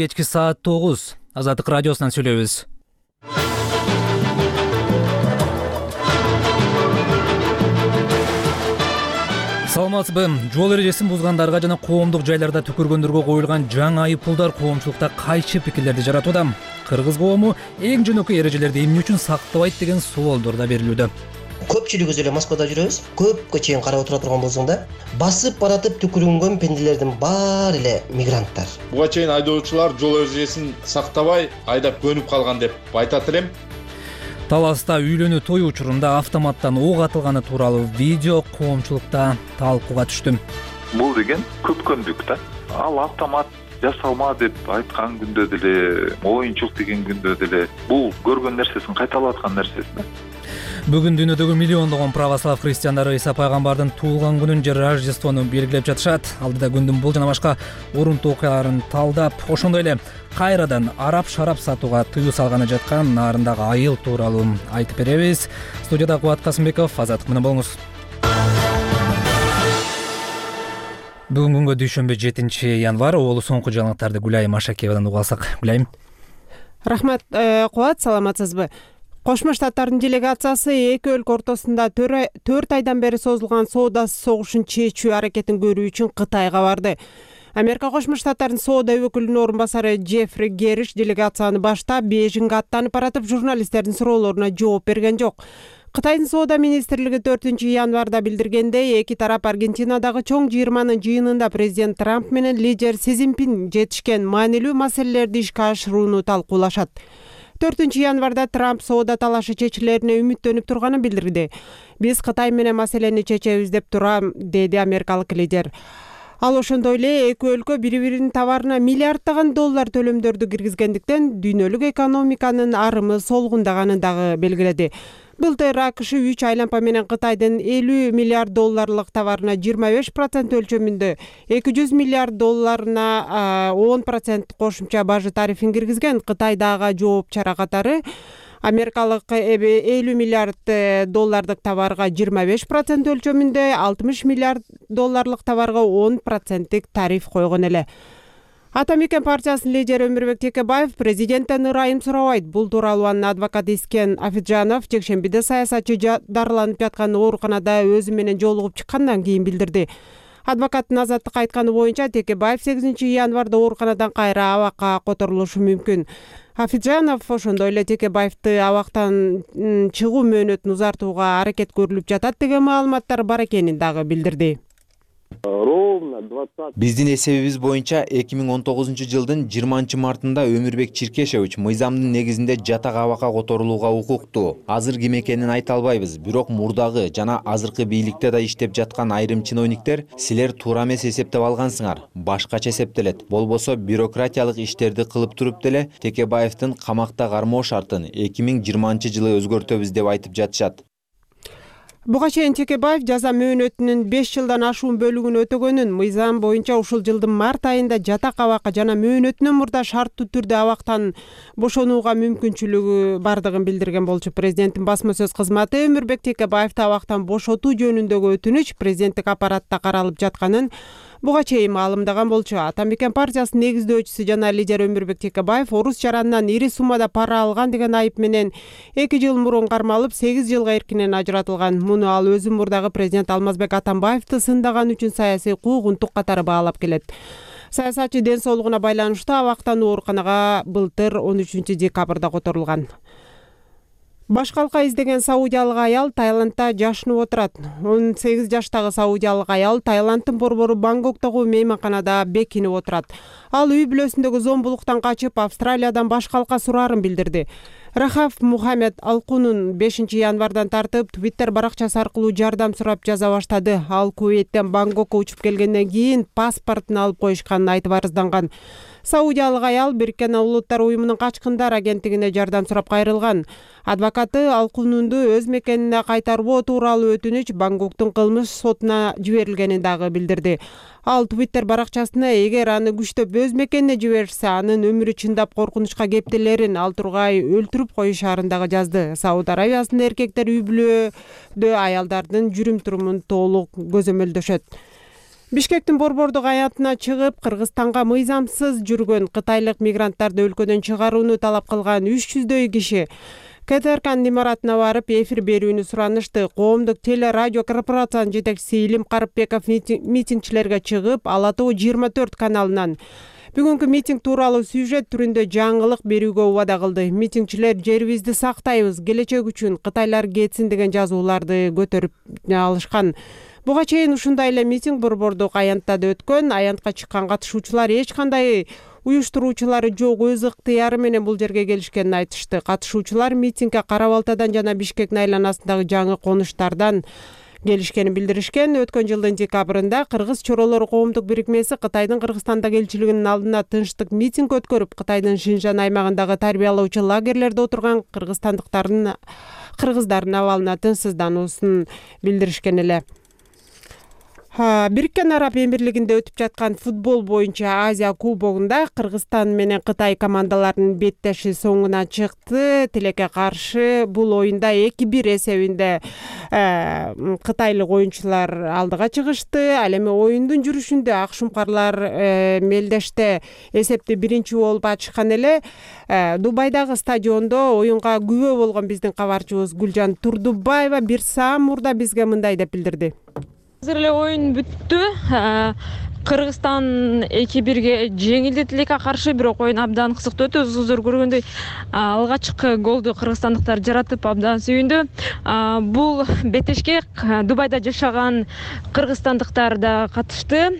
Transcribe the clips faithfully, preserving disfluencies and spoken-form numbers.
Кечки саат тогуз. Азаттык радиосунан сүйлөйбүз. Саламатсызбы? Жол эрежесин бузгандарга жана коомдук жайларда түкүргөндөргө коюлган жаңы айыппулдар коомчулукта кайчы пикирлерди жаратууда. Кыргыз коому эң жөнөкөй эрежелерди эмне үчүн сактабайт деген суолдор да берилүүдө. Көпчүлүгүбүз эле Москвада жүрөбүз. Көпкө чейин карап отура турган болсоң да, басып баратып түкүрүнгөн пенделердин баары эле мигранттар. Буга чейин айдоочулар жол эрежесин сактабай айдап көнүп калган деп айтат элем. Таласта үйлөнүү той учурунда автоматтан ок атылганы тууралуу видео коомчулукта талкууга түштү. Бул деген көпкөндүк да. Ал автомат жасалма деп айткан күндө деле, оюнчук деген күндө деле бул көргөн нерсесин кайталап аткан нерсеси да. Бүгүн дүйнөдөгү миллиондогон православ христиандары Иса пайгамбардын туулган күнүн же Рождествону белгилеп жатышат. Алдыда күндүн бул жана башка урунтуу окуяларын талдап, ошондой эле кайрадан араб шарап сатууга тыюу салганы жаткан нарындагы айыл тууралуу айтып беребиз. Студияда Кубат Касымбеков, Азаттык менен болуңуз. Бүгүн күнгө дүйшөмбү жетинчи январь, олу соңку жаңылыктарды Гүлайым Ашакиевадан угуп алсак. Гүлайым. Рахмат, Кубат, саламатсызбы? Кошмо Штаттардын делегациясы эки өлкө ортосунда төрт айдан бери созулган соода согушун чечүү аракетин көрүү үчүн Кытайга барды. Америка Кошмо Штаттардын соода өкүлүнүн орун басары Джеффри Гериш делегацияны баштап Бейжиңге аттанып баратып журналисттердин суроолоруна жооп берген жок. Кытайдын соода министрлиги төртүнчү январда билдиргендей, эки тарап Аргентинадагы чоң жыйырманын жыйынында президент Трамп менен лидер Си Цзиньпин жетишкен маанилүү маселелерди ишке ашырууну талкуулашат. төртүнчү январда Трамп соода талашы чечилерине үмүттөнүп турганын билдирди. Биз Кытай менен маселени чечебиз деп турам, деди америкалык лидер. Ал ошондой эле эки өлкө бири-биринин товарына миллиарддаган доллар төлөмдөрдү киргизгендиктен дүйнөлүк экономиканын арымы солгундаганын дагы белгиледи. Былтыр АКШ үч айланпа менен Кытайдын элүү миллиард долларлык товарына жыйырма беш процент өлчөмүндө эки жүз миллиард долларына он процент кошумча бажы тарифин киргизген. Кытайдагы жооп чара катары америкалык элүү миллиард доллардык товарга жыйырма беш процент өлчөмүндө алтымыш миллиард долларлык товарга он проценттик тариф койгон эле. Ата Мекен партиясынын лидери Өмүрбек Текебаев президенттен ырайым сурабайт. Бул тууралуу анын адвокаты Искен Афиджанов жекшембиде саясатчы дарыланып жаткан ооруканада өзү менен жолугуп чыккандан кийин билдирди. Адвокаттын Азаттыкка айтканы боюнча, Текебаев сегизинчи январда ооруканадан кайра абакка которулушу мүмкүн. Афиджанов ошондой эле Текебаевди абактан чыгуу мөөнөтүн узартууга аракет көрүлүп жатат деген маалыматтар бар экенин дагы билдирди. Биздин эсебибиз боюнча эки миң он тогузунчу жылдын жыйырманчы мартында Өмүрбек Чиркешевич мыйзамдын негизинде жатак абакка которулууга укуктуу. Азыр ким экенин айта албайбыз, бирок мурдагы жана азыркы бийликте да иштеп жаткан айрым чиновниктер силер туура эмес эсептеп алгансыңар, башкача эсептелет. Болбосо бюрократиялык иштерди кылып туруп деле Текебаевдин камакта кармоо шартын эки миң жыйырманчы жылы өзгөртөбүз деп айтып жатышат. Буга чейин Текебаев жаза мөөнөтүнүн беш жылдан ашуун бөлүгүн өтөгөнүн, мыйзам боюнча ушул жылдын март айында жатак абакка жана мөөнөтүнөн мурда шарттуу түрдө абактан бошонууга мүмкүнчүлүгү бардыгын билдирген болчу. Президенттин басма сөз кызматы Өмүрбек Текебаевди абактан бошотуу жөнүндөгү өтүнүч президенттик аппаратта каралып жатканын буга чейин маалымдаган болчу. Ата Мекен партиясынын негиздөөчүсү жана лидер Өмүрбек Текебаев орус жаранынан ири суммада пара алган деген айып менен эки жыл мурун кармалып, сегиз жылга эркинен ажыратылган. Муну ал өзү мурдагы президент Алмазбек Атамбаевди сындаган үчүн саясий куугунтук катары баалап келет. Саясатчы ден соолугуна байланыштуу абактан ооруканага былтыр он үчүнчү декабрда которулган. Башкалка издеген саудиялык аял Таиландда жашынып отурат. он сегиз жаштагы саудиялык аял Таиланддын борбору Бангкоктогу мейманканада бекинип отурат. Ал үй бүлөсүндөгү зомбулуктан качып Австралиядан башкалка сурарын билдирди. Рахаф Мухаммед Алкунун бешинчи январдан тартып Twitter баракчасы аркылуу жардам сурап жаза баштады. Ал Кувейттен Бангкокко учуп келгенден кийин паспортун алып коюшканын айтып арызданган. Саудиялык аял Бириккен Улуттар уюмунун качкындар агенттигине жардам сурап кайрылган. Адвокаты Алкунунду өз мекенине кайтарбоо тууралуу өтүнүч Бангкоктун кылмыш сотуна жиберилгенин дагы билдирди. Ал Twitter баракчасына эгер аны күчтөп өз мекенине жиберсе, анын өмүрү чындап коркунучка кептелерин, ал тургай өлтүрүп коюшарын дагы жазды. Сауд Арабиясынын эркектер үй бүлөдө аялдардын жүрүм турумун толук көзөмөлдөшөт. Бишкектин борбордук аянтына чыгып, Кыргызстанга мыйзамсыз жүргөн кытайлык мигранттарды өлкөдөн чыгарууну талап кылган үч жүздөй киши КТРКнын имаратына барып эфир берүүнү суранышты. Коомдук теле радио корпорациянын жетекчиси Илим Карыпбеков митингчилерге чыгып, Ала Тоо жыйырма төрт каналынан бүгүнкү митинг тууралуу сюжет түрүндө жаңылык берүүгө убада кылды. Митингчилер жерибизди сактайбыз, келечек үчүн Кытайлар кетсин деген жазууларды көтөрүп алышкан. Буга чейин ушундай эле митинг борбордук аянтта да өткөн. Аянтка чыккан катышуучулар эч кандай уюштуруучулары жок, өз ыктыяры менен бул жерге келишкенин айтышты. Катышуучулар митингге Кара Балтадан жана Бишкектин айланасындагы жаңы конуштардан келишкенин билдиришкен. Өткөн жылдын декабрында Кыргыз чоролору коомдук бирикмеси Кытайдын Кыргызстандагы элчилигинин алдына тынчтык митинг өткөрүп, Кытайдын Шинжан аймагындагы тарбиялоочу лагерлерде отурган кыргызстандыктардын кыргыздардын абалына тынчсыздануусун билдиришкен эле. Бириккен Араб Эмирлигинде өтүп жаткан футбол боюнча Азия кубогунда Кыргызстан менен Кытай командаларынын беттеши соңуна чыкты. Тилекке каршы бул оюнда эки бир эсебинде кытайлык оюнчулар алдыга чыгышты. Ал эми оюндун жүрүшүндө ак шумкарлар мелдеште эсепти биринчи болуп ачышкан эле. Дубайдагы стадиондо оюнга күбө болгон биздин кабарчыбыз Гүлжан Турдубаева бир саат мурда бизге мындай деп билдирди. Азыр эле оюн бүттү. Кыргызстан эки бирге жеңилди Тилекке каршы, бирок оюн абдан кызыктуу өтү. Өзүңүздөр көргөндөй алгачкы голду кыргызстандыктар жаратып абдан сүйүндү. Бул беттешке Дубайда жашаган кыргызстандыктар да катышты.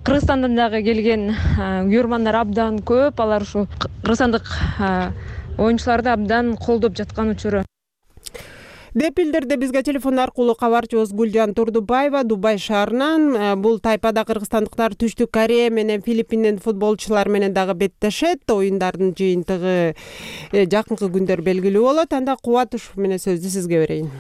Кыргызстандан дагы келген көрөрмандар абдан көп. Алар ушу кыргызстандык оюнчуларды абдан колдоп жаткан учуру. Деп билдирди бизге телефон аркылуу кабарчыбыз Гүлжан Турдубаева Дубай шаарынан. Бул тайпада кыргызстандыктар Түштүк Корея менен Филиппиндин футболчулар менен дагы беттешет. Оюндардын жыйынтыгы жакынкы күндөр белгилүү болот. Анда Кубатышев менен сөздү сизге берейин.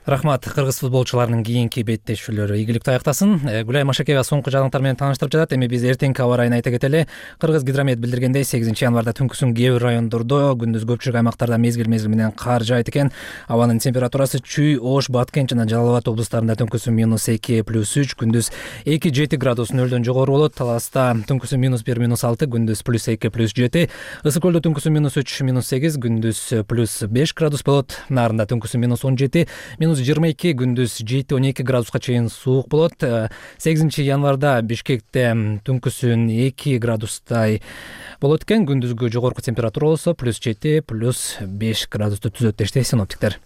Рахмат. Кыргыз футболчуларынын кийинки беттешүүлөрү игиликтүү аяктасын. Гүлай Машакеева соңку жаңылыктар менен тааныштырып жатат. Эми биз эртеңки аба ырайын айта кетели. Кыргыз гидромет билдиргендей, сегизинчи январда түнкүсүн кээ бир райондордо, күндүз көпчүлүк аймактарда мезгил-мезгил менен кар жаайт экен. Абанын температурасы Чүй, Ош, Баткен жана Жалал Абад облустарында түнкүсүн минус эки плюс үч, күндүз эки жети градус нөлдөн жогору болот. Таласта түнкүсүн минус бир минус алты, күндүз плюс эки плюс жети. Ысык көлдө түнкүсүн минус үч минус сегиз, күндүз плюс беш градус болот. Нарында түнкүсүн минус он жети, минус жыйырма эки, күндүз жети он эки градуска чейин суук болот. сегизинчи январда Бишкекте түнкүсүн эки градустай болот экен. Күндүзгү жогорку температура болсо плюс жети плюс беш градусту түзөт дешти синоптиктер.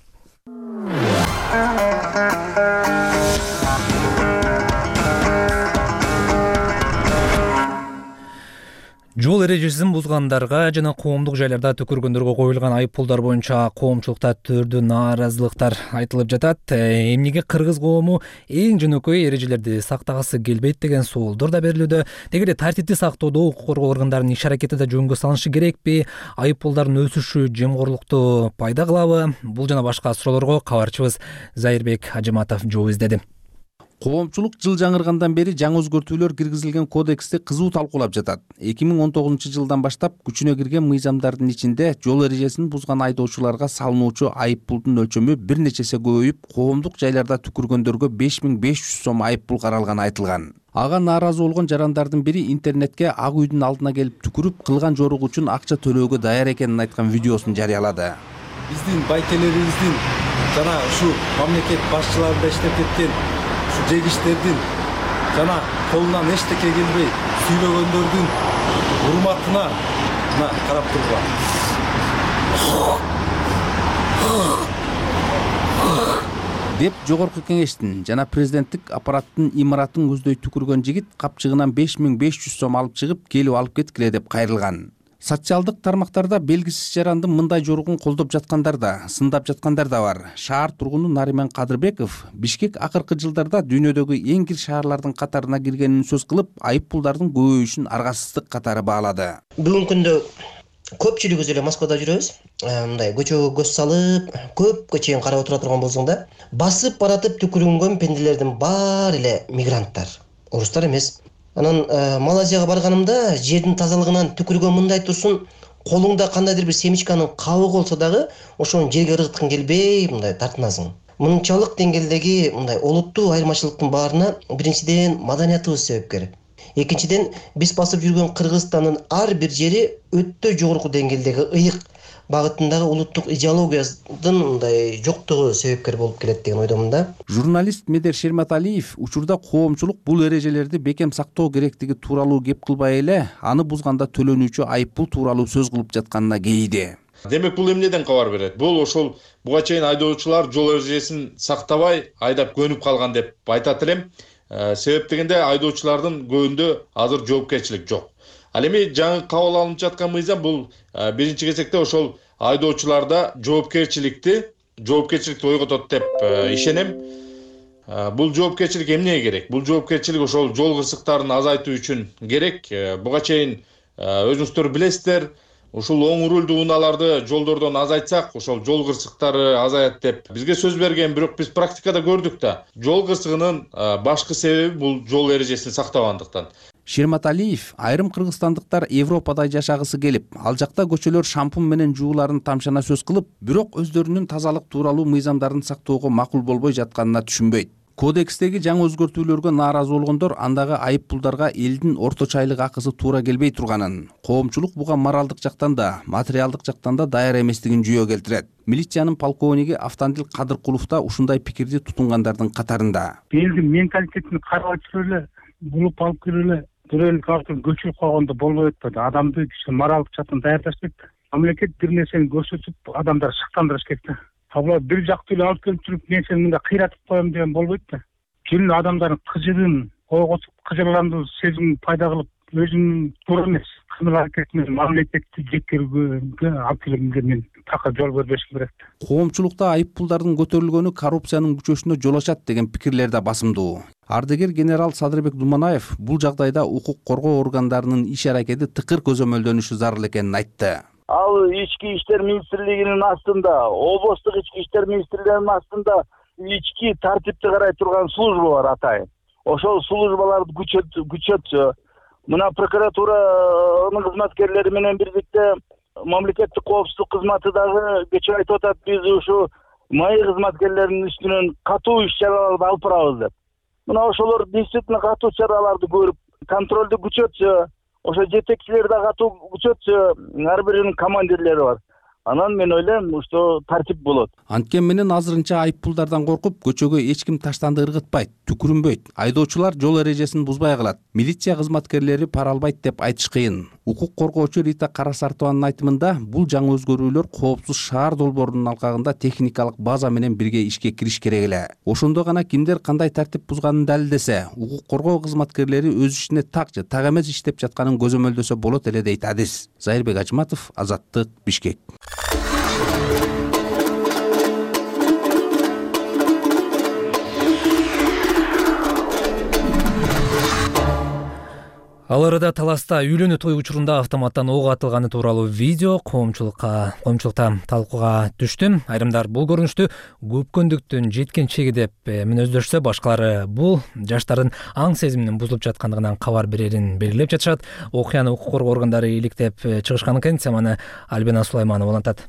Жол эрежесин бузгандарга жана коомдук жайларда түкүргөндөргө коюлган айып пулдар боюнча коомчулукта түрдүү нааразылыктар айтылып жатат. Эмнеге кыргыз коому эң жөнөкөй эрежелерди сактагысы келбейт деген соолдор да берилүүдө. Деги эле тартипти сактоодо укук коргоо органдарынын иш аракети да жөнгө салынышы керекпи? Айып пулдардын өсүшү жемкорлукту пайда кылабы? Бул жана башка суроолорго кабарчыбыз Зайырбек Ажыматов жооп издеди. Коомчулук жыл жаңыргандан бери жаңы өзгөртүүлөр киргизилген кодексти кызуу талкуулап жатат. эки миң он тогузунчу жылдан баштап күчүнө кирген мыйзамдардын ичинде жол эрежесин бузган айдоочуларга салынуучу айып пулдун өлчөмү бир нече эсе көбөйүп, коомдук жайларда түкүргөндөргө беш миң беш жүз сом айып пул каралганы айтылган. Ага нааразы болгон жарандардын бири интернетке ак үйдүн алдына келип түкүрүп, кылган жоругу үчүн акча төлөөгө даяр экенин айткан видеосун жарыялады. Биздин байкелерибиздин жана ушу мамлекет башчыларында иштеп кеткен жегиштердин жана колунан эчтеке келбей сүйлөгөндөрдүн урматына мына карап тургула. Деп жогорку кеңештин жана президенттик аппараттын имаратын көздөй түкүргөн жигит капчыгынан беш миң беш жүз сом алып чыгып, келип алып кеткиле деп кайрылган. Социалдык тармактарда белгисиз жарандын мындай жоругун колдоп жаткандар да, сындап жаткандар да бар. Шаар тургуну Нариман Кадырбеков Бишкек акыркы жылдарда дүйнөдөгү эң кир шаарлардын катарына киргенин сөз кылып, айып пулдардын көбөйүшүн аргасыздык катары баалады. Бүгүнкү күндө көпчүлүгүбүз эле Москвада жүрөбүз. Мындай көчөгө көз салып, көпкө чейин карап отура турган болсоң да, басып баратып түкүрүнгөн пенделердин баары эле мигранттар, орустар эмес. Анан Малайзияга барганымда жердин тазалыгынан түкүргөн мындай турсун, колуңда кандайдыр бир семечканын кабыгы болсо дагы ошону жерге ыргыткың келбей, мындай тартынасың. Мынчалык деңгээлдеги мындай олуттуу айырмачылыктын баарына биринчиден маданиятыбыз себепкер. Экинчиден, биз басып жүргөн Кыргызстандын ар бир жери өтө жогорку деңгээлдеги ыйык багытындагы улуттук идеологиянын мындай жоктугу себепкер болуп келет деген ойдомун да. Журналист Медер Шерматалиев учурда коомчулук бул эрежелерди бекем сактоо керектиги тууралуу кеп кылбай эле, аны бузганда төлөнүүчү айыппул тууралуу сөз кылып жатканына кейиди. Демек бул эмнеден кабар берет? Бул ошол буга чейин айдоочулар жол эрежесин сактабай айдап көнүп калган деп айтат элем. Себеп дегенде айдоочулардын көбүндө азыр жоопкерчилик жок. Ал эми жаңы кабыл алынып жаткан мыйзам бул биринчи кезекте ошол айдоочуларда жоопкерчиликти жоопкерчиликти ойготот деп ишенем. Бул жоопкерчилик эмнеге керек? Бул жоопкерчилик ошол жол кырсыктарын азайтуу үчүн керек. Буга чейин өзүңүздөр билесиздер, ушул оң рулдуу унааларды жолдордон азайтсак, ошол жол кырсыктары азаят деп бизге сөз берген, бирок биз практикада көрдүк да. Жол кырсыгынын башкы себеби бул жол эрежесин сактабагандыктан. Шерматалиев айрым кыргызстандыктар Европада жашагысы келип, ал жакта көчөлөр шампун менен жууларын тамшана сөз кылып, бирок өздөрүнүн тазалык тууралуу мыйзамдарын сактоого макул болбой жатканына түшүнбөйт. Кодекстеги жаңы өзгөртүүлөргө нааразы болгондор андагы айыппулдарга элдин орточо айлык акысы туура келбей турганын, коомчулук буга моралдык жактан да, материалдык жактан да даяр эместигин жүйө келтирет. Милициянын полковниги Автандил Кадыркулов да ушундай пикирди тутунгандардын катарында. Элдин менталитетин карап өтүп эле, булуп алып кирип эле төрөлүк артын көчүрүп койгондо болбой атпайбы? Адамды кичине моралдык жактан даярдаш керек. Мамлекет бир нерсени көрсөтүп, адамдар шыктандырыш керек да. Абла бир жактуу эле алып келип туруп, мен сени мындай кыйратып коем деген болбойт да. Келин адамдардын кыжыгын койготуп, кыжырландыруу сезимин пайда кылып, өзүнүн туура эмес кымыл аракети менен мамлекетти жеткирүүгө алып келгенге мен такыр жол бербешим керек. Коомчулукта айыппулдардын көтөрүлгөнү коррупциянын күчөшүнө жол ачат деген пикирлер да басымдуу. Ардыгер генерал Садырбек Думанаев бул жагдайда укук коргоо органдарынын иш аракети тыкыр көзөмөлдөнүшү зарыл экенин айтты. Ал ички иштер министрлигинин астында, облустук ички иштер министрлигинин астында ички тартипти карай турган служба бар атайын. Ошол службаларды күчөт күчөтсө, мына прокуратуранын кызматкерлери менен бирдикте мамлекеттик коопсуздук кызматы дагы кечээ айтып атат, биз ушу маи кызматкерлеринин үстүнөн катуу иш чараларды алып барабыз деп. Мына ошолор действительно катуу чараларды көрүп, контролду күчөтсө, ошо жетекчилер да катуу күчөтсө, ар биринин командирлери бар. Анан мен ойлойм, что тартип болот. Анткени менен азырынча айыппулдардан коркуп, көчөгө эч ким таштанды ыргытпайт, түкүрүнбөйт. Айдоочулар жол эрежесин бузбай калат. Милиция кызматкерлери пара албайт деп айтыш кыйын. Укук коргоочу Рита Карасартованын айтымында, бул жаңы өзгөрүүлөр коопсуз шаар долбоорунун алкагында техникалык база менен бирге ишке кириш керек эле. Ошондо гана кимдер кандай тартип бузганын далилдесе, укук коргоо кызматкерлери өз ишине так же так эмес иштеп жатканын көзөмөлдөсө болот эле дейт адис. Зайырбек Ажматов, Азаттык, Бишкек. Ал арада Таласта үйлөнүү той учурунда автоматтан ок атылганы тууралуу видео коомчулукка коомчулукта талкууга түштү. Айрымдар бул көрүнүштү көпкөндүктүн жеткенчеги деп мүнөздөшсө, башкалары бул жаштардын аң сезиминин бузулуп жаткандыгынан кабар берерин белгилеп жатышат. Окуяны укук коргоо органдары иликтеп чыгышкан экен. Теманы Альбина Сулайманова улантат.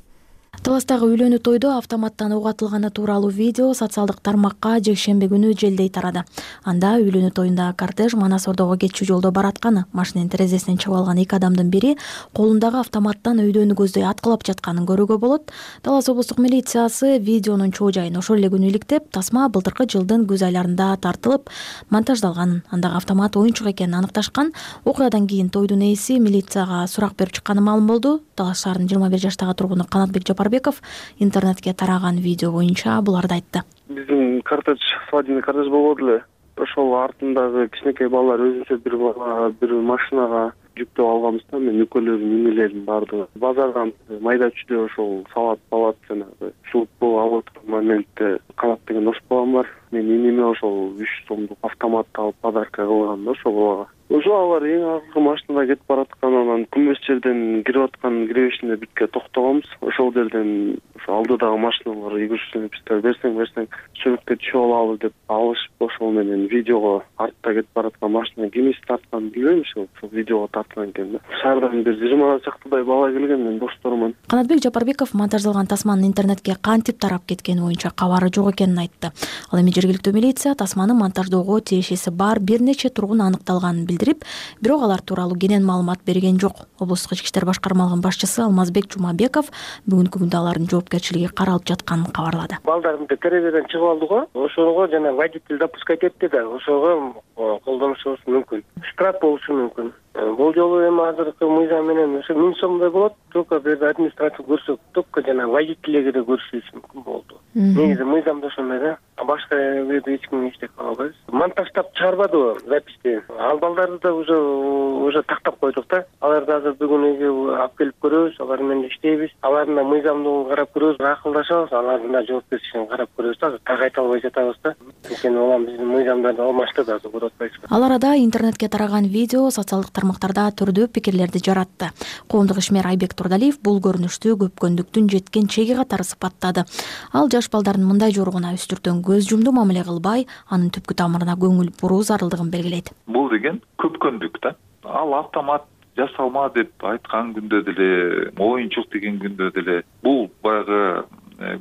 Таластагы үйлөнүү тойдо автоматтан ок атылганы тууралуу видео социалдык тармакка жекшемби күнү желдей тарады. Анда үйлөнүү тоюндагы кортеж Манас Ордого кетчү жолдо баратканы, машинанын терезесинен чыгып алган эки адамдын бири колундагы автоматтан өйдөнү көздөй аткылап жатканын көрүүгө болот. Талас облустук милициясы видеонун чоо жайын ошол эле күнү иликтеп, тасма былтыркы жылдын күз айларында тартылып, монтаждалганын, андагы автомат оюнчук экенин аныкташкан. Окуядан кийин тойдун ээси милицияга сурак берип чыкканы маалым болду. Талас шаарынын жыйырма бир жаштагы тургуну Канатбек Жапарбеков интернетке тараган видео боюнча буларды айтты. Биздин кортеж, свадебный кортеж болбоду эле. Ошол артындагы кичинекей балдар өзүнчө бир бала, бир машинага жүктөп алганбыз да, мен экөөлөрүн инелерин бардыгы. Базардан майда чүйдө ошол салат, салат жанагы футбол алып отурган моментте Канат деген дос балам бар. мен иниме ошол үч сомдук автоматты алып подарка кылгам да ошол балага. Ошо алар эң акыркы машинада кетип бараткан, анан күмбөз жерден кирип аткан киребешинде битке токтогонбуз. Ошол жерден ошо алдыдагы машиналар үйгүрүшүп биздер берсең берсең чөмүккө түшүп алалы деп алышып, ошол менен видеого артта кетип бараткан машина кимиси тартканын билбейм, ошол видеого тарткан экен да. Шаардан бир жыйырма чактыдай бала келген, мен достоормун. Канатбек Жапарбеков монтаждалган тасманын интернетке кантип тарап кеткени боюнча кабары жок экенин айтты. Ал эми жергиликтүү милиция тасманы монтаждоого тиешеси бар бир нече тургун аныкталганын билдирип, бирок алар тууралуу кенен маалымат берген жок. Облустук ички иштер башкармалыгынын башчысы Алмазбек Жумабеков бүгүнкү күндө алардын жоопкерчилиги каралып жатканын кабарлады. Балдарды терезеден чыгып алды го, ошого жана водитель допускать этти да, ошого колдонушубуз мүмкүн. Штраф болушу мүмкүн. Бул жолу эми азыркы мыйзам менен ошо миң сомдой болот, только бир административ көрсөк, только жана водительге да көрсөтүш мүмкүн болду. Негизи мыйзамда ошондой да. Башка жерде эч ким эчтеке кыла албайбыз. Монтаждап чыгарбадыбы записти? Ал балдарды да уже уже тактап койдук да. Аларды азыр бүгүн үйгө алып келип көрөбүз, алар менен иштейбиз. Алардын да мыйзамдуулугун карап көрөбүз, акылдашабыз, алардын да жоопкерчилигин карап көрөбүз да. Так айта албай жатабыз да. Анткени улам биздин мыйзамдарды алмашты да, көрүп атпайсызбы. Ал арада интернетке тараган видео социалдык тармактарда түрдүү пикирлерди жаратты. Коомдук ишмер Айбек Турдалиев бул көрүнүштү көпкөндүктүн жеткен чеги катары сыпаттады. Ал жаш балдардын мындай жоругуна үстүртөн көз жумду мамиле кылбай, анын түпкү тамырына көңүл буруу зарылдыгын белгилейт. Бул деген көпкөндүк да. Ал автомат жасалма деп айткан күндө деле, оюнчук деген күндө деле бул баягы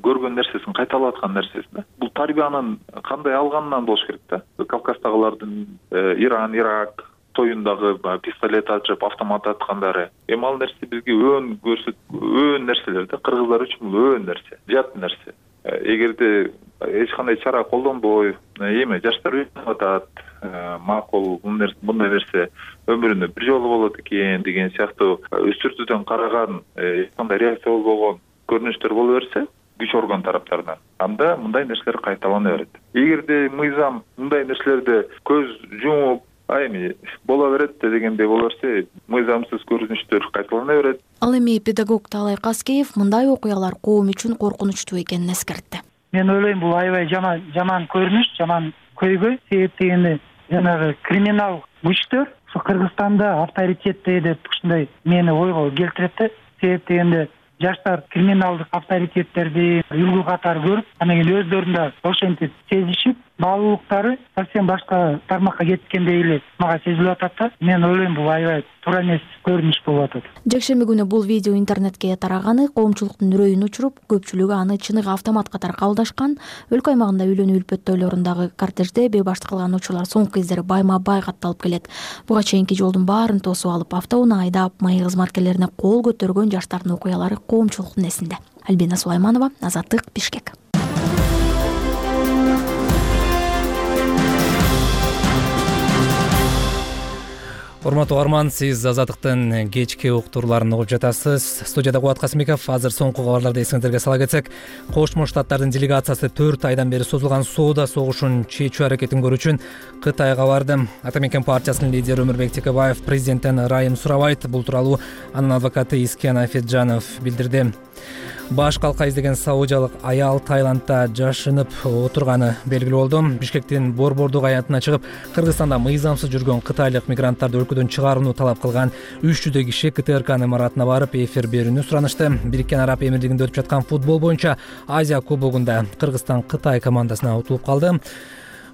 көргөн нерсесин кайталап аткан нерсеси да. Бул тарбиянын кандай алганынан болуш керек да. Кавказдагылардын Иран, Ирак тоюндагы пистолет ачып автомат аткандары. Эми ал нерсе бизге өөн көрсөт, өөн нерселер да. Кыргыздар үчүн бул өөн нерсе, жат нерсе. Эгерде эч кандай чара колдонбой, эми жаштар үйрөнүп атат, макул мындай нерсе өмүрүндө бир жолу болот экен деген сыяктуу үстүртүүдөн караган эч кандай реакция болбогон көрүнүштөр боло берсе, күч орган тараптарынан, анда мындай нерселер кайталана берет. Эгерде мыйзам мындай нерселерди көз жумуп, а эми боло берет дегендей боло берсе, мыйзамсыз көрүнүштөр кайталана берет. Ал эми педагог Таалай Каскеев мындай окуялар коом үчүн коркунучтуу экенин эскертти. Мен ойлойм, бул аябай жаман жаман көрүнүш, жаман көйгөй. Себеп дегенде жанагы криминал күчтөр ушу Кыргызстанда авторитетте деп ушундай мени ойго келтирет да. Себеп дегенде жаштар криминалдык авторитеттерди үлгү катары көрүп, анан кийин өздөрүндө ошентип сезишип, баалуулуктары совсем башка тармакка кеткендей эле мага сезилип атат да. Мен ойлойм, бул аябай туура эмес көрүнүш болуп атат. Жекшемби күнү бул видео интернетке тараганы коомчулуктун үрөйүн учуруп, көпчүлүгү аны чыныгы автомат катары кабылдашкан. Өлкө аймагында үйлөнүү үлпөттөөлөрүндөгү кортежде бебашты кылган учурлар соңку кездери байма-бай катталып келет. Буга чейинки жолдун баарын тосуп алып, автоунаа айдап, майы кызматкерлерине кол көтөргөн жаштардын окуялары коомчулуктун эсинде. Альбина Сулайманова, Азаттык, Бишкек. Урматтуу угарман, сиз Азаттыктын кечки уктурларын угуп жатасыз. Студияда Кубат Касымбеков. Азыр соңку кабарларды эсиңиздерге сала кетсек, Кошмо Штаттардын делегациясы төрт айдан бери созулган соода согушун чечүү аракетин көрүү үчүн Кытайга барды. Ата Мекен партиясынын лидери Өмүрбек Текебаев президенттен ырайым сурабайт. Бул тууралуу анын адвокаты Искен Афеджанов билдирди. Баш калка издеген саудиялык аял Таиландда жашынып отурганы белгилүү болду. Бишкектин борбордук аянтына чыгып, Кыргызстанда мыйзамсыз жүргөн кытайлык мигранттарды өлкөдөн чыгарууну талап кылган үч жүздөй киши КТРКнын имаратына барып эфир берүүнү суранышты. Бириккен Араб Эмирлигинде өтүп жаткан футбол боюнча Азия кубогунда Кыргызстан Кытай командасына утулуп калды.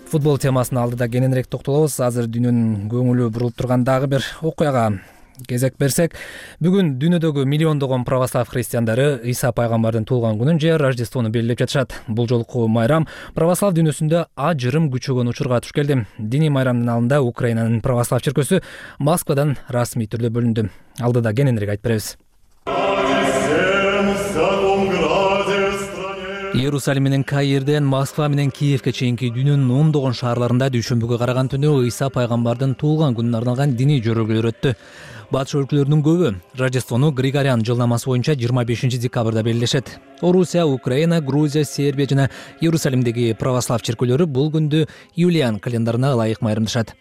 Футбол темасына алдыда кененирээк токтолобуз. Азыр дүйнөнүн көңүлү бурулуп турган дагы бир окуяга кезек берсек, бүгүн дүйнөдөгү миллиондогон православ христиандары Иса пайгамбардын туулган күнүн же Рождествону белгилеп жатышат. Бул жолку майрам православ дүйнөсүндө ажырым күчөгөн учурга туш келди. Диний майрамдын алдында Украинанын православ чиркөөсү Москвадан расмий түрдө бөлүндү. Алдыда кененирээк айтып беребиз. Иерусалим менен Каирден Москва менен Киевке чейинки дүйнөнүн ондогон шаарларында дүйшөмбүгө караган түнү Иса пайгамбардын туулган күнүнө арналган диний жөрөгөлөр өттү. Батыш өлкөлөрүнүн көбү Рождествону Григориан жылнамасы боюнча жыйырма бешинчи декабрда белгилешет. Орусия, Украина, Грузия, Сербия жана Иерусалимдеги православ чиркөөлөрү бул күндү Юлиан календарына ылайык майрамдашат.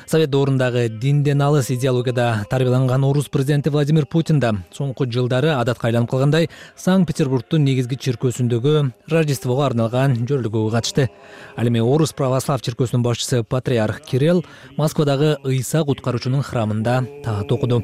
Совет доорундагы динден алыс идеологияда тарбияланган орус президенти Владимир Путин да соңку жылдары адатка айланып калгандай Санкт-Петербургдун негизги чиркөөсүндөгү Рождествого арналган жөрөлгөгө катышты. Ал эми орус православ чиркөөсүнүн башчысы патриарх Кирилл Москвадагы Ыйса куткаруучунун храмында таат окуду.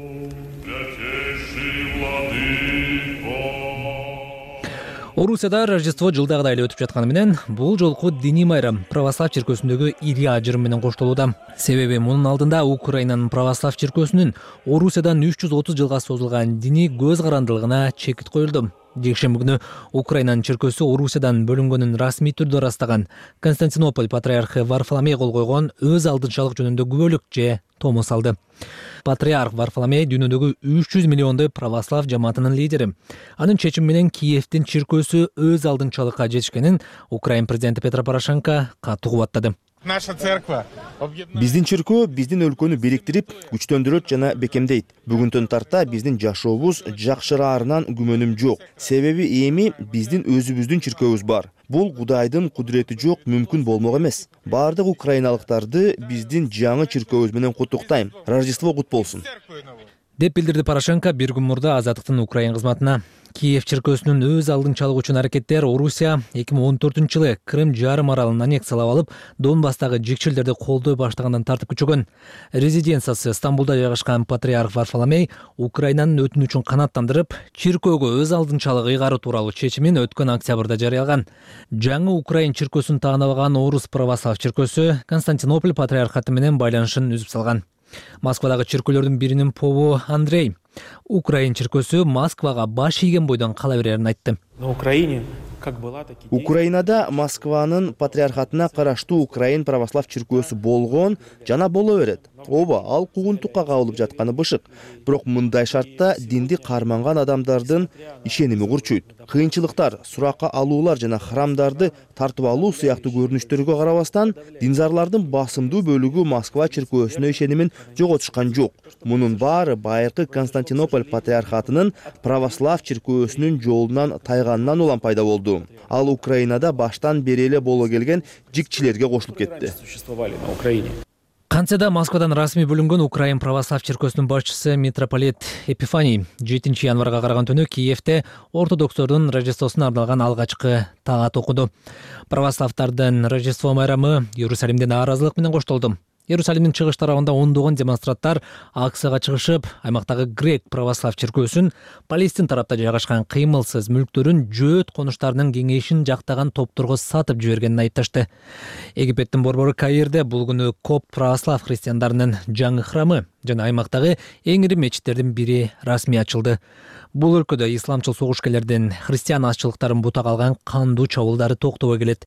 Орусияда Рождество жылдагыдай эле өтүп жатканы менен бул жолку диний майрам православ чиркөөсүндөгү ири ажырым менен коштолууда. Себеби мунун алдында Украинанын православ чиркөөсүнүн Орусиядан үч жүз отуз жылга созулган диний көз карандылыгына чекит коюлду. Жекшемби күнү Украинанын чиркөөсү Орусиядан бөлүнгөнүн расмий түрдө ырастаган Константинополь патриархы Варфоломей кол койгон өз алдынчалык жөнүндө күбөлүк же томос алды. Патриарх Варфоломей дүйнөдөгү үч жүз миллиондой православ жамаатынын лидери. Анын чечими менен Киевдин чиркөөсү өз алдынчалыкка жетишкенин Украин президенти Петро Порошенко катуу кубаттады. Наша церковь. Биздин чиркөө биздин өлкөнү бириктирип, күчтөндүрөт жана бекемдейт. Бүгүндөн тарта биздин жашообуз жакшыраарынан күмөнүм жок. Себеби эми биздин өзүбүздүн чиркөөбүз бар. Бул Кудайдын кудурети жок мүмкүн болмок эмес. Бардык украиналыктарды биздин жаңы чиркөөбүз менен куттуктайм. Рождество кут болсун. Деп билдирди Порошенко бир күн мурда Азаттыктын Украин кызматына. Киев чиркөөсүнүн өз алдынчалык үчүн аракеттер Орусия эки миң он төртүнчү жылы Крым жарым аралын аннексиялап алып, Донбасстагы жикчилдерди колдой баштагандан тартып күчөгөн. Резиденциясы Стамбулда жайгашкан патриарх Варфоломей Украинанын өтүнүчүн канааттандырып, чиркөөгө өз алдынчалык ыйгаруу тууралуу чечимин өткөн октябрда жарыялаган. Жаңы Украин чиркөөсүн таанабаган орус православ чиркөөсү Константинополь патриархаты менен байланышын үзүп салган. Москвадагы чиркөөлөрдүн биринин попу Андрей Украин чиркөөсү Москвага баш ийген бойдон кала берерин айтты. На Украине Украинада Москванын патриархатына караштуу Украин православ чиркөөсү болгон жана боло берет. Ооба, ал куугунтукка кабылып жатканы бышык. Бирок мындай шартта динди карманган адамдардын ишеними курчуйт. Кыйынчылыктар, суракка алуулар жана храмдарды тартып алуу сыяктуу көрүнүштөргө карабастан, динзарлардын басымдуу бөлүгү Москва чиркөөсүнө ишенимин жоготушкан жок. Мунун баары байыркы Константинополь патриархатынын православ чиркөөсүнүн жолунан тайганынан улам пайда болду. Ал Украинада баштан бери эле боло келген жикчилерге кошулуп кетти. Кантсе да Москвадан расмий бөлүнгөн Украин православ чиркөөсүнүн башчысы митрополит Епифаний жетинчи январга караган түнү Киевде ортодокстордун Рождествосуна арналган алгачкы таат окуду. Православдардын Рождество майрамы Иерусалимде нааразылык менен коштолду. Иерусалимдин чыгыш тарабында ондогон демонстранттар акцияга чыгышып, аймактагы грек православ чиркөөсүн, Палестин тарапта жайгашкан кыймылсыз мүлктөрүн жөөт конуштарынын кеңейишин жактаган топторго сатып жибергенин айтташты. Египеттин борбору Каирде бул күнү коп православ христиандарынын жаңы храмы жана аймактагы эң ири мечиттердин бири расмий ачылды. Бул өлкөдө исламчыл согушкерлердин христиан азчылыктарын бутак алган кандуу чабуулдары токтобой келет.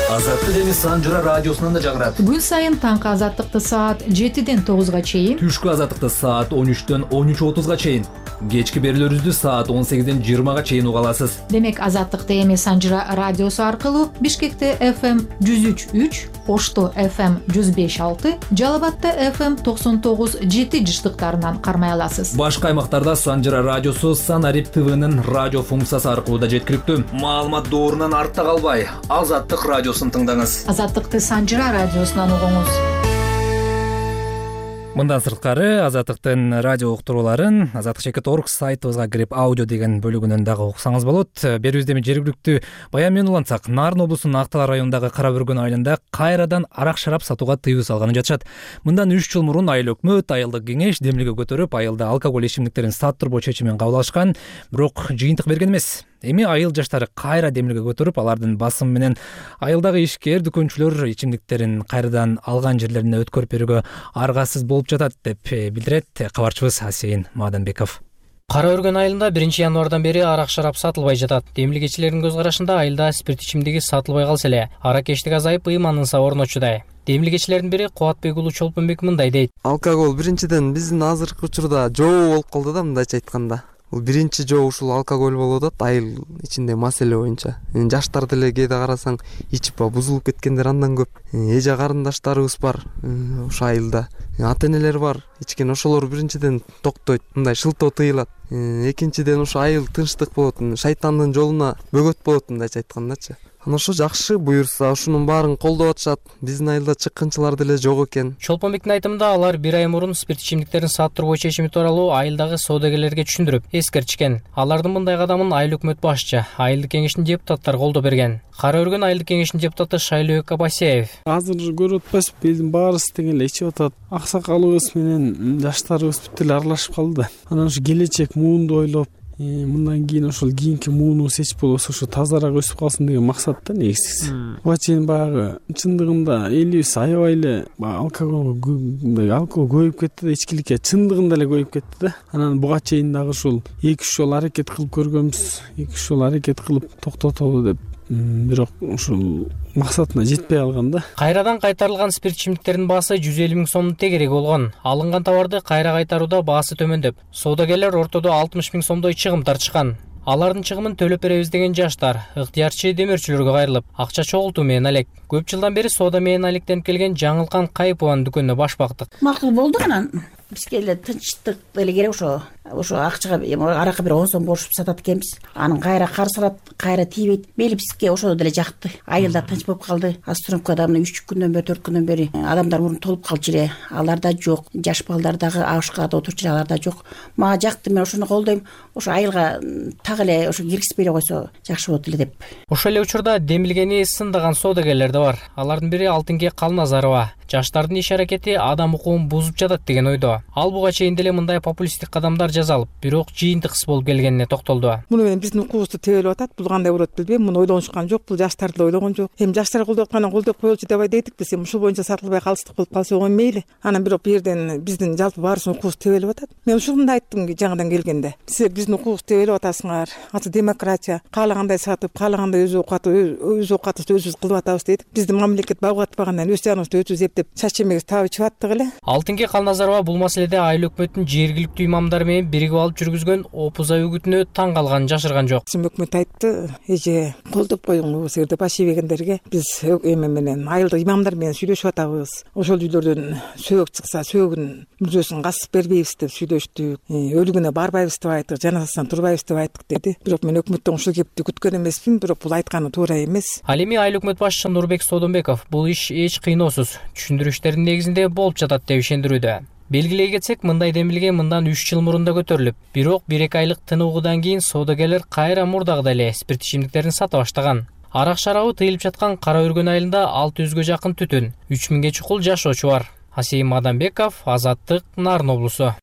Азаттык эми Санжыра радиосунан да жагырат. Күн сайын таңкы азаттыкты саат жетиден тогузга чейин, түшкү азаттыкты саат он үчтөн он үч отузга чейин, кечки берүүлөрүбүздү саат он сегизден жыйырмага чейин уга аласыз. Демек азаттыкты эми Санжыра радиосу аркылуу Бишкекте эф эм жүз үч үч, Ошто эф эм жүз беш алты, Жалал Абадта эф эм токсон тогуз жети жыштыктарынан кармай аласыз. Башка аймактарда Санжыра радиосу Санарип ТВнын радио функциясы аркылуу да жеткиликтүү. Маалымат доорунан артта калбай, Азаттык радиосун тыңдаңыз. Азаттыкты Санжыра радиосунан угуңуз. Мындан сырткары Азаттыктын радио уктурууларын азаттык чекит точка орг сайтыбызга кирип аудио деген бөлүгүнөн дагы уксаңыз болот. Берүүбүздө эми жергиликтүү баян менен улантсак, Нарын облусунун Актал районундагы Кара Бүргөн айылында кайрадан арак шарап сатууга тыюу салганы жатышат. Мындан үч жыл мурун айыл өкмөт, айылдык кеңеш демилге көтөрүп, айылда алкоголь ичимдиктерин саттырбоо чечимин кабыл алышкан, бирок жыйынтык берген эмес. Эми айыл жаштары кайра демилге көтөрүп, алардын басымы менен айылдагы ишкер дүкөнчүлөр ичимдиктерин кайрадан алган жерлерине өткөрүп берүүгө аргасыз болуп жатат деп билдирет кабарчыбыз Асейин Маданбеков. Кара Өргөн айылында биринчи январдан бери арак шарап сатылбай жатат. Демилгечилердин көз карашында айылда спирт ичимдиги сатылбай калса эле, аракечтик азайып ыйманынса орночудай. Демилгечилердин бири Кубатбек уулу Чолпонбек мындай дейт. Алкоголь биринчиден биздин азыркы учурда жоо болуп калды да, мындайча айтканда. Бул биринчи жоо ушул алкоголь болуп атат айыл ичинде маселе боюнча. Жаштар деле кээде карасаң ичип бузулуп кеткендер андан көп. Эже карындаштарыбыз бар ошо айылда. Ата энелер бар. Ичкен ошолор биринчиден токтойт, мындай шылтоо тыйылат. Экинчиден ошо айыл тынчтык болот, шайтандын жолуна бөгөт болот мындайча айткандачы. анан ошо жакшы буюрса ушунун баарын колдоп атышат. Биздин айылда чыккынчылар деле жок экен. Чолпонбектин айтымында алар бир ай мурун спирт ичимдиктерин саттыруу чечими тууралуу айылдагы соодагерлерге түшүндүрүп, эскертишкен. Алардын мындай кадамын айыл өкмөт башчы, айылдык кеңештин депутаттары колдоо берген. Кара өргөн айылдык кеңештин депутаты Шайлообек Абасиев: азыр көрүп атпайсызбы, элдин баарысы тең эле ичип атат. Аксакалыбыз менен жаштарыбыз бүт эле аралашып калды да. Анан ушу келечек муунду ойлоп, мындан кийин ошол кийинки мууну сечип болбосо ошо тазараак өсүп калсын деген максатта негизгиси. Буга чейин баягы чындыгында элибиз аябай эле алкоголго алкогол көбөйүп кетти да, ичкиликке чындыгында эле көбөйүп кетти да. Анан буга чейин дагы ушул эки үч жолу аракет кылып көргөнбүз. эки үч жолу аракет кылып токтотолу деп, бирок ушул максатына жетпей калган да. Кайрадан кайтарылган спирт ичимдиктердин баасы жүз элүү миң сомдун тегереги болгон. Алынган товарды кайра кайтарууда баасы төмөндөп, соодагерлер ортодо алтымыш миң сомдой чыгым тартышкан. Алардын чыгымын төлөп беребиз деген жаштар ыктыярчы демөөрчүлөргө кайрылып, акча чогултуу менен алек. Көп жылдан бери соода менен алектенип келген Жаңылкан Кайыпованын дүкөнүнө баш бактык. Макул болду анан. Бизге эле тынчтык эле керек, ошо ошо акчага аракка бир он сом борушуп сатат экенбиз. Анын кайра кар салат, кайра тийбейт. Мейли бизге ошол деле жакты. Айылда тынч болуп калды. Астромкада мына үч күндөн бери, төрт күндөн бери адамдар мурун толуп калчу эле. Алар да жок. Жаш балдар дагы абышкада отурчу эле, алар да жок. Мага жакты, мен ошону колдойм. Ошо айылга так эле ошо киргизбей эле койсо жакшы болот эле деп. Ошол эле учурда демилгени сындаган соодагерлер да бар. Алардын бири Алтынке Калназарова. Жаштардын иш аракети адам укугун бузуп жатат деген ойдо. Ал буга чейин деле мындай популисттик кадамдар жасалып, бирок жыйынтык болуп келгенине токтолду. Муну менен биздин укугубузду тебелеп атат. Бул кандай болот билбейм. Муну ойлонушкан жок. Бул жаштар деле ойлогон жок. Эми жаштар колдоп аткандан колдоп коелучу деп айдык биз. Эми ушул боюнча сатылбай калыштык болуп калса оң мейли. Анан бирок бу жерден биздин жалпы баарыбыздын укугубуз тебелеп атат. Мен ушуну да айттым жаңыдан келгенде. Силер биздин укугубузду тебелеп атасыңар. Азыр демократия, каалагандай сатып, каалагандай өз оокаты өз оокатыбызды өзүбүз кылып атабыз дедик. Биздин мамлекет багып атпагандан өз жаныбызды өзүбүз эптеп чач эмебиз табып ичип аттык эле. Алтынке Калназарова бул маселеде айыл өкмөттүн жергиликтүү имамдары менен биригип алып жүргүзгөн опуза үгүтүнө таң калганын жашырган жок. Өкмөт айтты, эже колдоп коюңуз, силерде баш ийбегендерге биз эме менен айылдык имамдар менен сүйлөшүп атабыз. Ошол үйлөрдөн сөөгү чыкса, сөөгүн мүрзөсүн касып бербейбиз деп сүйлөштүк. Өлүгүнө барбайбыз деп айттык, жаназасынан турбайбыз деп айттык деди. Бирок мен өкмөттөн ушул кепти күткөн эмесмин, бирок бул айтканы туура эмес. Ал эми айыл өкмөт башчысы Нурбек Содонбеков бул иш эч кыйноосуз, түшүндүрүштөрдүн негизинде болуп жатат деп ишендирүүдө. Белгилей кетсек, мындай демилге мындан үч жыл мурун да көтөрүлүп, бирок бир эки айлык тыныгуудан кийин соодагерлер кайра мурдагыдай эле спирт ичимдиктерин сата баштаган. Арак шарабы тыйылып жаткан Кара өргөн айылында алты жүзгө жакын түтүн, үч миңге чукул жашоочу бар. Асейим Адамбеков, Азаттык, Нарын облусу.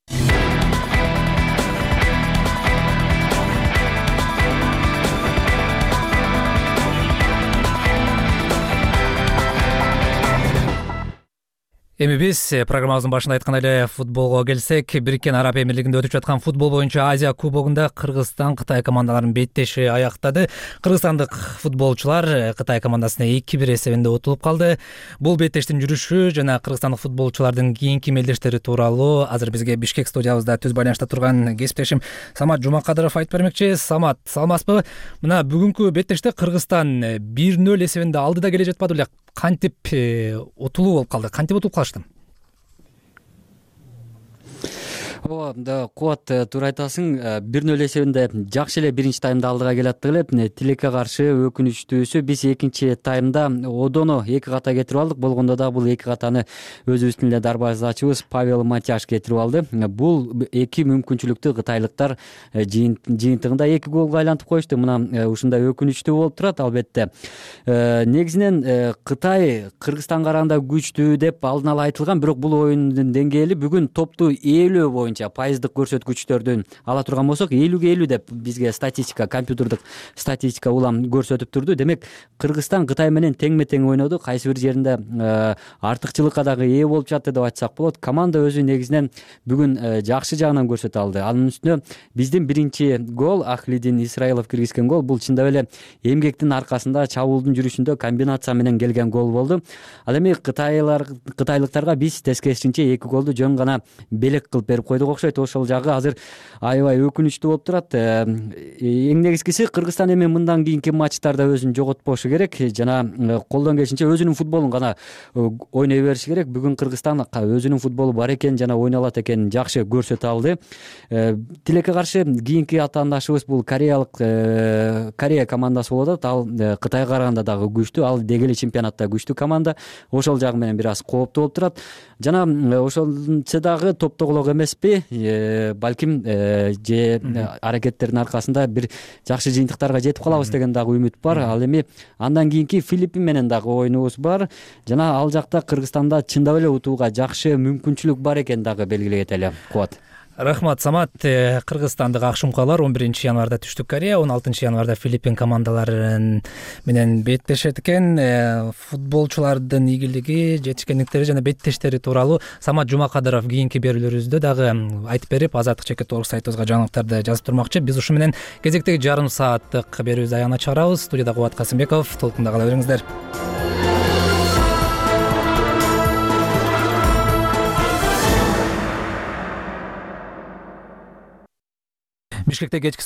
Эми биз программабыздын башында айткан эле футболго келсек, Бириккен Араб Эмирлигинде өтүп жаткан футбол боюнча Азия кубогунда Кыргызстан Кытай командаларынын беттеши аяктады. Кыргызстандык футболчулар Кытай командасына эки бир эсебинде утулуп калды. Бул беттештин жүрүшү жана кыргызстандык футболчулардын кийинки мелдештери тууралуу азыр бизге Бишкек студиябызда түз байланышта турган кесиптешим Самат Жумакадыров айтып бермекчи. Самат, саламатсызбы? Мына бүгүнкү беттеште Кыргызстан бир нөл эсебинде алды да келе жатпады беле? Кантип утулуу болуп калды? Кантип утулуп калышты? Ооба, да, Кубат, туура айтасың. бир нөл эсебинде жакшы эле биринчи таймда алдыга келаттык эле. Тилекке каршы өкүнүчтүүсү биз экинчи таймда одону эки ката кетирип алдык. Болгондо да бул эки катаны өзүбүздүн эле дарбазачыбыз Павел Матяш кетирип алды. Бул эки мүмкүнчүлүктү кытайлыктар жыйынтыгында эки голго айлантып коюшту. Мына ушундай өкүнүчтүү болуп турат, албетте. Негизинен Кытай Кыргызстанга караганда күчтүү деп алдын ала айтылган, бирок бул оюндун деңгээли бүгүн топту ээлөө боюнча пайыздык көрсөткүчтөрдүн ала турган болсок, элүүгө элүү деп бизге статистика, компьютердик статистика улам көрсөтүп турду. Демек, Кыргызстан Кытай менен теңме тең ойноду. Кайсы бир жеринде артыкчылыкка дагы ээ болуп жатты деп айтсак болот. Команда өзү негизинен бүгүн жакшы жагынан көрсөтө алды. Анын үстүнө биздин биринчи гол Ахлидин Исраилов киргизген гол. Бул чындап эле эмгектин аркасында, чабуулдун жүрүшүндө комбинация менен келген гол болду. Ал эми Кытайлар Кытайлыктарга биз тескерисинче эки голду жөн гана белек кылып берип койдук. көрдүк окшойт. Ошол жагы азыр аябай өкүнүчтүү болуп турат. Эң негизгиси Кыргызстан эми мындан кийинки матчтарда өзүн жоготпошу керек жана колдон келишинче өзүнүн футболун гана ойной бериши керек. Бүгүн Кыргызстан өзүнүн футболу бар экен жана ойноп алат экенин жакшы көрсөтө алды. Тилекке каршы кийинки атаандашыбыз бул кореялык Корея командасы болуп атат. Ал Кытайга караганда дагы күчтүү, ал деги эле чемпионатта күчтүү команда. Ошол жагы менен бир аз кооптуу болуп турат. Жана ошончо дагы топтогулок эмеспи, балким же аракеттердин аркасында бир жакшы жыйынтыктарга жетип калабыз деген дагы үмүт бар. Ал эми андан кийинки Филиппин менен дагы оюнубуз бар жана ал жакта Кыргызстанда чындап эле утууга жакшы мүмкүнчүлүк бар экенин дагы белгилей кетели. Кубат. Рахмат, Самат. Кыргызстандык Акшумкалар он биринчи январда Түштүк Корея, он алтынчы январда Филиппин командалары менен беттешет экен. Футболчулардын ийгилиги, жетишкендиктери жана беттештери тууралуу Самат Жумакадыров кийинки берүүлөрүбүздө дагы айтып берип, Азаттык чекит орг сайтыбызга жаңылыктарды жазып турмакчы. Биз ушу менен кезектеги жарым сааттык берүүбүздү аягына чыгарабыз. Студияда Кубат Касымбеков. Толкунда кала бериңиздер. Бишкекте кечки